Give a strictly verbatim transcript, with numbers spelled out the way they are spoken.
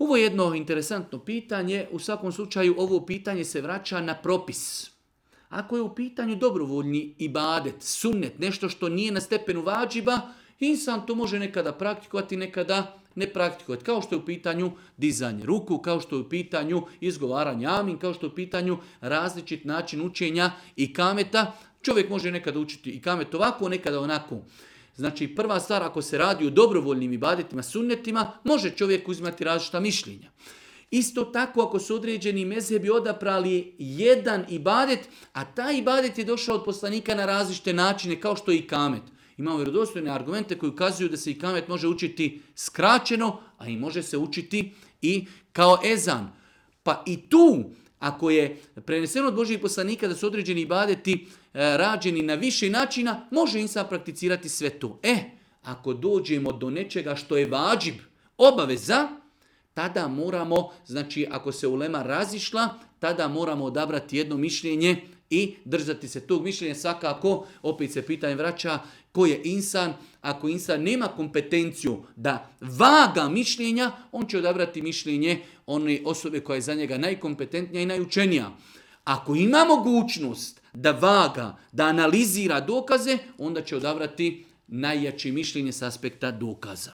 Ovo je jedno interesantno pitanje. U svakom slučaju ovo pitanje se vraća na propis. Ako je u pitanju dobrovoljni ibadet, sunnet, nešto što nije na stepenu vađiba, insan to može nekada praktikovati, nekada ne praktikovati. Kao što je u pitanju dizanje ruku, kao što je u pitanju izgovaranja amin, kao što je u pitanju različit način učenja i kameta. Čovjek može nekada učiti i kamet ovako, nekada onako. Znači prva stvar, ako se radi o dobrovoljnim ibadetima, sunnetima, može čovjek uzimati različita mišljenja. Isto tako ako su određeni mezhebi odabrali jedan ibadet, a taj ibadet je došao od poslanika na različite načine, kao što je i kamet. Imamo vjerodostojne argumente koji ukazuju da se i kamet može učiti skraćeno, a i može se učiti i kao ezan. Pa i tu, ako je preneseno od Božjih poslanika da su određeni ibadeti e, rađeni na više načina, može insan prakticirati sve to. E, ako dođemo do nečega što je vađib, obaveza, tada moramo, znači ako se ulema razišla, tada moramo odabrati jedno mišljenje i držati se tog mišljenja. Svakako, opet se pitanje vraća, ko je insan? Ako insan nema kompetenciju da vaga mišljenja, on će odabrati mišljenje one osobe koja je za njega najkompetentnija i najučenija. Ako ima mogućnost da vaga, da analizira dokaze, onda će odabrati najjače mišljenje s aspekta dokaza.